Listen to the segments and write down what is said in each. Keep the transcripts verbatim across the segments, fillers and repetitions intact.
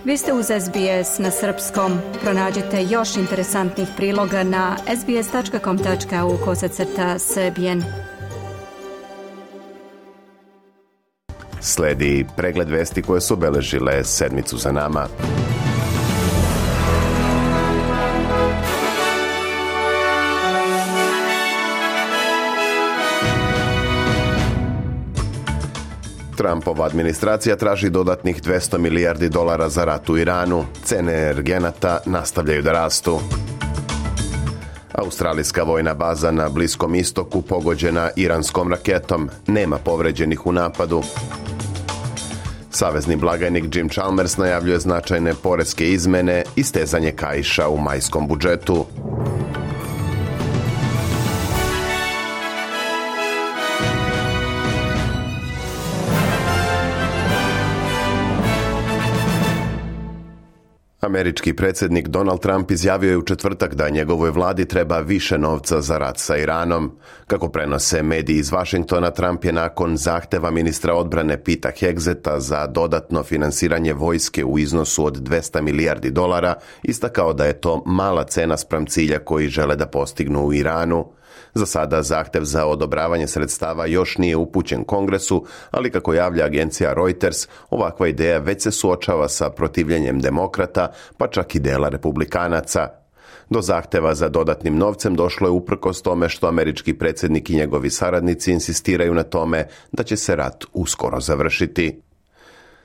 Vi ste uz S B S na srpskom. Pronađite još interesantnih priloga na sbs.com.au kosacrta srbijen. Sledi pregled vesti koje su obeležile sedmicu za nama. Trumpova administracija traži dodatnih dvesta milijardi dolara za rat u Iranu. Cene energenata nastavljaju da rastu. Australijska vojna baza na Bliskom istoku pogođena iranskom raketom. Nema povređenih u napadu. Savezni blagajnik Jim Chalmers najavljuje značajne poreske izmene i stezanje kaiša u majskom budžetu. Američki predsjednik Donald Trump izjavio je u četvrtak da njegovoj vladi treba više novca za rat sa Iranom. Kako prenose mediji iz Vašingtona, Trump je nakon zahteva ministra odbrane Pita Hegseta za dodatno finansiranje vojske u iznosu od dvesta milijardi dolara istakao da je to mala cena spram cilja koji žele da postignu u Iranu. Za sada zahtev za odobravanje sredstava još nije upućen Kongresu, ali kako javlja agencija Reuters, ovakva ideja već se suočava sa protivljenjem demokrata, pa čak i dela republikanaca. Do zahteva za dodatnim novcem došlo je uprkos tome što američki predsjednik i njegovi saradnici insistiraju na tome da će se rat uskoro završiti.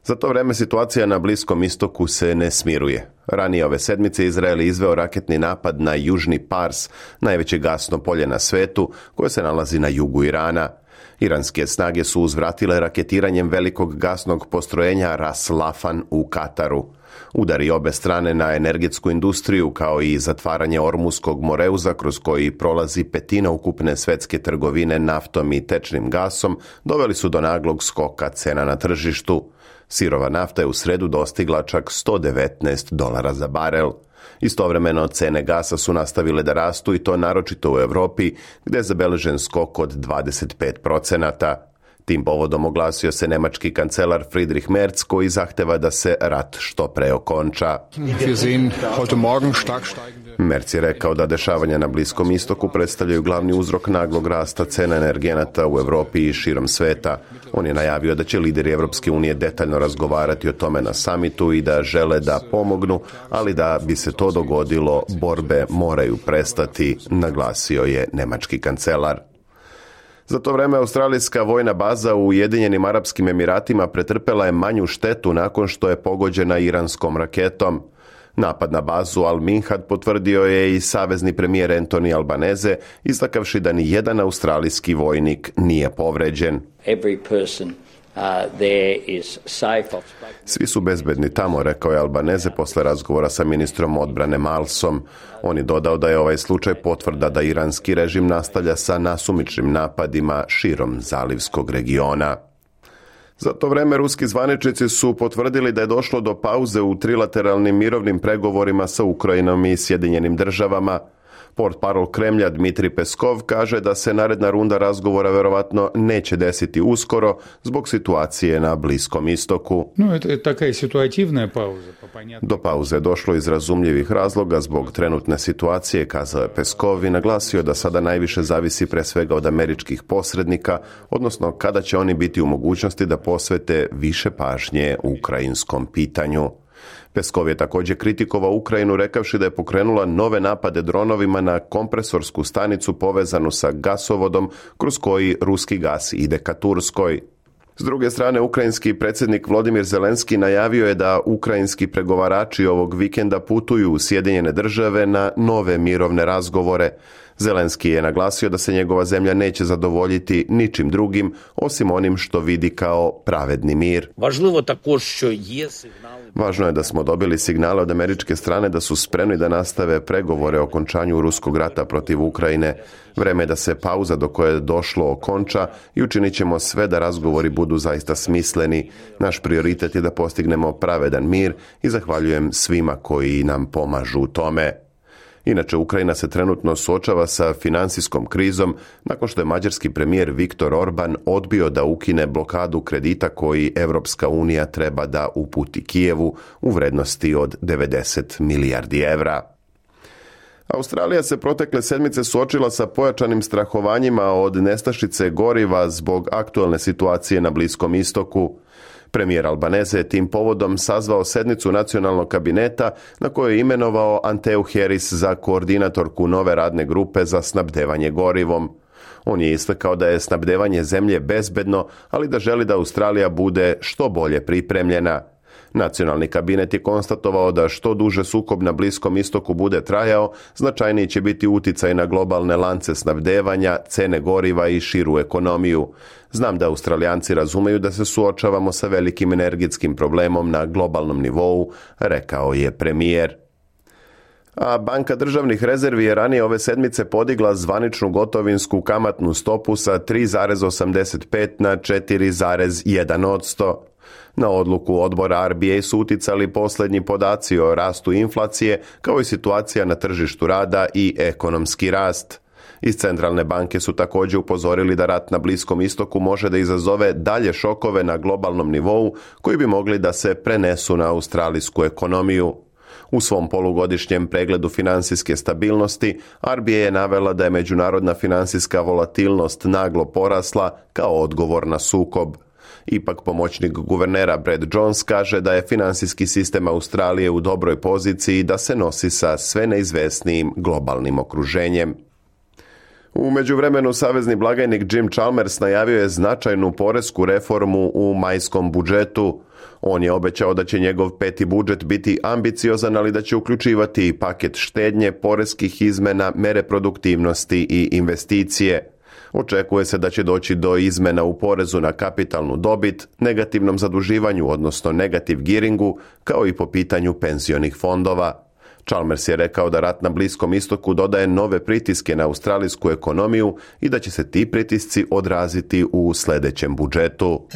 Za to vreme situacija na Bliskom istoku se ne smiruje. Ranije ove sedmice Izrael je izveo raketni napad na južni Pars, najveće gasno polje na svetu, koje se nalazi na jugu Irana. Iranske snage su uzvratile raketiranjem velikog gasnog postrojenja Ras Lafan u Kataru. Udari obe strane na energetsku industriju, kao i zatvaranje Ormuskog moreuza kroz koji prolazi petina ukupne svetske trgovine naftom i tečnim gasom, doveli su do naglog skoka cena na tržištu. Sirova nafta je u sredu dostigla čak sto devetnaest dolara za barel. Istovremeno cene gasa su nastavile da rastu i to naročito u Europi, gdje je zabeležen skok od dvadeset pet procenata. Tim povodom oglasio se nemački kancelar Friedrich Merz, koji zahteva da se rat što pre okonča. Merz je rekao da dešavanja na Bliskom istoku predstavljaju glavni uzrok naglog rasta cena energenata u Europi i širom sveta. On je najavio da će lideri Evropske unije detaljno razgovarati o tome na samitu i da žele da pomognu, ali da bi se to dogodilo, borbe moraju prestati, naglasio je nemački kancelar. Za to vreme australijska vojna baza u Ujedinjenim Arapskim Emiratima pretrpela je manju štetu nakon što je pogođena iranskom raketom. Napad na bazu Al-Minhad potvrdio je i savezni premijer Anthony Albanese, istakavši da ni jedan australijski vojnik nije povređen. Svi su bezbedni tamo, rekao je Albanese posle razgovora sa ministrom odbrane Malsom. On je dodao da je ovaj slučaj potvrda da iranski režim nastavlja sa nasumičnim napadima širom zalivskog regiona. Za to vreme ruski zvaničnici su potvrdili da je došlo do pauze u trilateralnim mirovnim pregovorima sa Ukrajinom i Sjedinjenim državama. Portparol Kremlja Dmitri Peskov kaže da se naredna runda razgovora verovatno neće desiti uskoro zbog situacije na Bliskom istoku. No, to je taka situativna pauza. Do pauze je došlo iz razumljivih razloga zbog trenutne situacije, kazao je Peskov i naglasio da sada najviše zavisi pre svega od američkih posrednika, odnosno kada će oni biti u mogućnosti da posvete više pažnje ukrajinskom pitanju. Peskov je također kritikovao Ukrajinu rekavši da je pokrenula nove napade dronovima na kompresorsku stanicu povezanu sa gasovodom kroz koji ruski gas ide ka Turskoj. S druge strane, ukrajinski predsjednik Volodymyr Zelenski najavio je da ukrajinski pregovarači ovog vikenda putuju u Sjedinjene države na nove mirovne razgovore. Zelenski je naglasio da se njegova zemlja neće zadovoljiti ničim drugim osim onim što vidi kao pravedni mir. Važno je da smo dobili signale od američke strane da su spremni da nastave pregovore o okončanju ruskog rata protiv Ukrajine. Vreme je da se pauza do koje je došlo okonča i učinit ćemo sve da razgovori budu zaista smisleni. Naš prioritet je da postignemo pravedan mir i zahvaljujem svima koji nam pomažu u tome. Inače, Ukrajina se trenutno suočava sa financijskom krizom nakon što je mađarski premijer Viktor Orban odbio da ukine blokadu kredita koji Europska unija treba da uputi Kijevu u vrednosti od devedeset milijardi evra. Australija se protekle sedmice suočila sa pojačanim strahovanjima od nestašice goriva zbog aktualne situacije na Bliskom istoku. Premijer Albanese je tim povodom sazvao sednicu nacionalnog kabineta na kojoj je imenovao Anteu Harris za koordinatorku nove radne grupe za snabdevanje gorivom. On je istakao da je snabdevanje zemlje bezbedno, ali da želi da Australija bude što bolje pripremljena. Nacionalni kabinet je konstatovao da što duže sukob na Bliskom istoku bude trajao, značajniji će biti uticaj na globalne lance snabdevanja, cene goriva i širu ekonomiju. Znam da Australijanci razumeju da se suočavamo sa velikim energetskim problemom na globalnom nivou, rekao je premijer. A Banka državnih rezervi je ranije ove sedmice podigla zvaničnu gotovinsku kamatnu stopu sa tri zarez osamdeset pet na četiri zarez jedan posto. Na odluku odbora R B A su uticali posljednji podaci o rastu inflacije, kao i situacija na tržištu rada i ekonomski rast. Iz centralne banke su također upozorili da rat na Bliskom istoku može da izazove dalje šokove na globalnom nivou koji bi mogli da se prenesu na australijsku ekonomiju. U svom polugodišnjem pregledu financijske stabilnosti, R B A je navela da je međunarodna financijska volatilnost naglo porasla kao odgovor na sukob. Ipak pomoćnik guvernera Brad Jones kaže da je financijski sistem Australije u dobroj poziciji da se nosi sa sve neizvesnijim globalnim okruženjem. U međuvremenu savezni blagajnik Jim Chalmers najavio je značajnu poresku reformu u majskom budžetu. On je obećao da će njegov peti budžet biti ambiciozan, ali da će uključivati i paket štednje, poreskih izmena, mere produktivnosti i investicije. Očekuje se da će doći do izmena u porezu na kapitalnu dobit, negativnom zaduživanju, odnosno negativ gearingu, kao i po pitanju penzionih fondova. Chalmers je rekao da rat na Bliskom istoku dodaje nove pritiske na australijsku ekonomiju i da će se ti pritisci odraziti u sljedećem budžetu.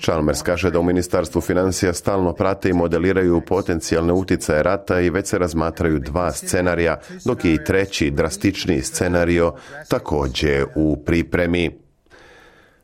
Chalmers kaže da u Ministarstvu financija stalno prate i modeliraju potencijalne uticaje rata i već se razmatraju dva scenarija, dok je i treći, drastičniji scenario također u pripremi.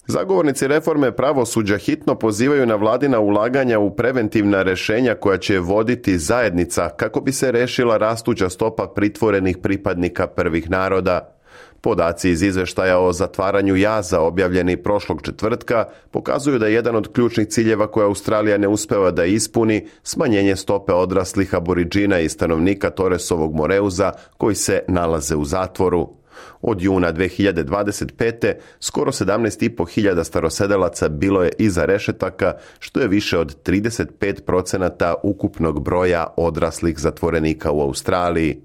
Zagovornici reforme pravosuđa hitno pozivaju na vladina ulaganja u preventivna rješenja koja će voditi zajednica kako bi se rešila rastuća stopa pritvorenih pripadnika prvih naroda. Podaci iz izveštaja o zatvaranju jaza objavljeni prošlog četvrtka pokazuju da je jedan od ključnih ciljeva koje Australija ne uspeva da ispuni smanjenje stope odraslih aboriđina i stanovnika Torresovog Moreuza koji se nalaze u zatvoru. Od juna dve hiljade dvadeset pete skoro sedamnaest i po hiljada starosedelaca bilo je iza rešetaka, što je više od trideset pet procenata ukupnog broja odraslih zatvorenika u Australiji.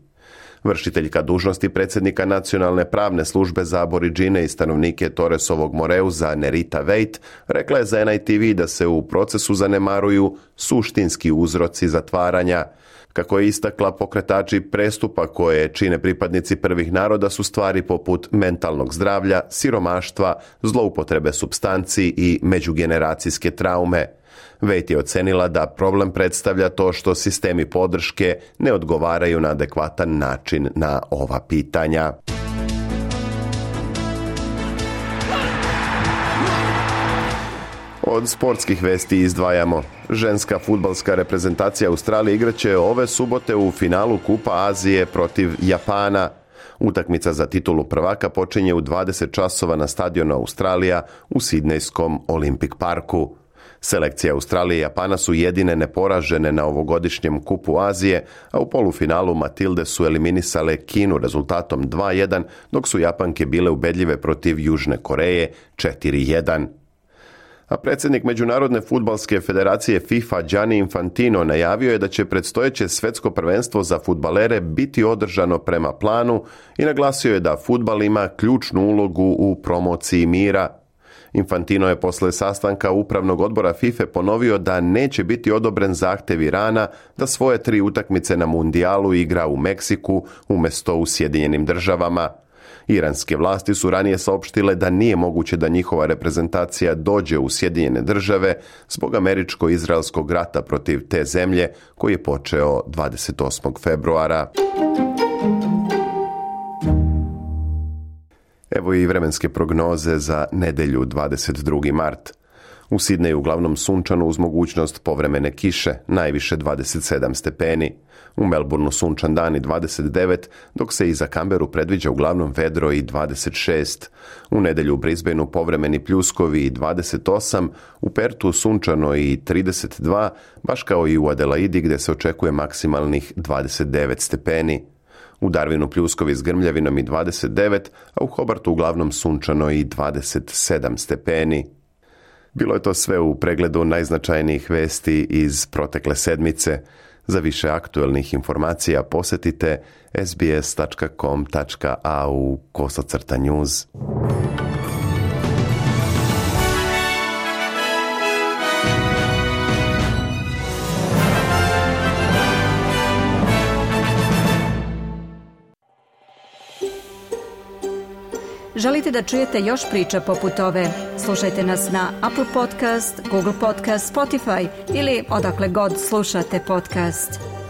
Vršiteljka dužnosti predsjednika Nacionalne pravne službe za aboriđine i stanovnike Torresovog Moreuza Nerita Veit rekla je za N I T V da se u procesu zanemaruju suštinski uzroci zatvaranja. Kako je istakla, pokretači prestupa koje čine pripadnici prvih naroda su stvari poput mentalnog zdravlja, siromaštva, zloupotrebe supstanci i međugeneracijske traume. Veit je ocenila da problem predstavlja to što sistemi podrške ne odgovaraju na adekvatan način na ova pitanja. Od sportskih vesti izdvajamo. Ženska fudbalska reprezentacija Australije igraće ove subote u finalu Kupa Azije protiv Japana. Utakmica za titulu prvaka počinje u dvadeset časova na stadionu Australija u Sidnejskom Olympic parku. Selekcije Australije i Japana su jedine neporažene na ovogodišnjem Kupu Azije, a u polufinalu Matilde su eliminisale Kinu rezultatom dva jedan, dok su Japanke bile ubedljive protiv Južne Koreje četiri jedan. A predsjednik Međunarodne fudbalske federacije FIFA Gianni Infantino najavio je da će predstojeće svjetsko prvenstvo za fudbalere biti održano prema planu i naglasio je da fudbal ima ključnu ulogu u promociji mira. Infantino je posle sastanka upravnog odbora FIFA ponovio da neće biti odobren zahtjev Irana da svoje tri utakmice na mundijalu igra u Meksiku umjesto u Sjedinjenim državama. Iranske vlasti su ranije saopštile da nije moguće da njihova reprezentacija dođe u Sjedinjene države zbog američko-izraelskog rata protiv te zemlje koji je počeo dvadeset osmog februara. Evo i vremenske prognoze za nedelju dvadeset drugi mart. U Sidneju uglavnom sunčano uz mogućnost povremene kiše, najviše dvadeset sedam stepeni. U Melbourneu sunčan dan i dvadeset devet, dok se i za Canberu predviđa uglavnom vedro i dvadeset šest. U nedelju u Brisbaneu povremeni pljuskovi i dvadeset osam, u Pertu sunčano i trideset dva, baš kao i u Adelaidi gdje se očekuje maksimalnih dvadeset devet stepeni. U Darwinu pljuskovi s grmljavinom i dvadeset devet, a u Hobartu uglavnom sunčano i dvadeset sedam stepeni. Bilo je to sve u pregledu najznačajnijih vesti iz protekle sedmice. Za više aktuelnih informacija posjetite sbs tačka com tačka a u kosacrta news. Želite da čujete još priča poput ove? Slušajte nas na Apple Podcast, Google Podcast, Spotify ili odakle god slušate podcast.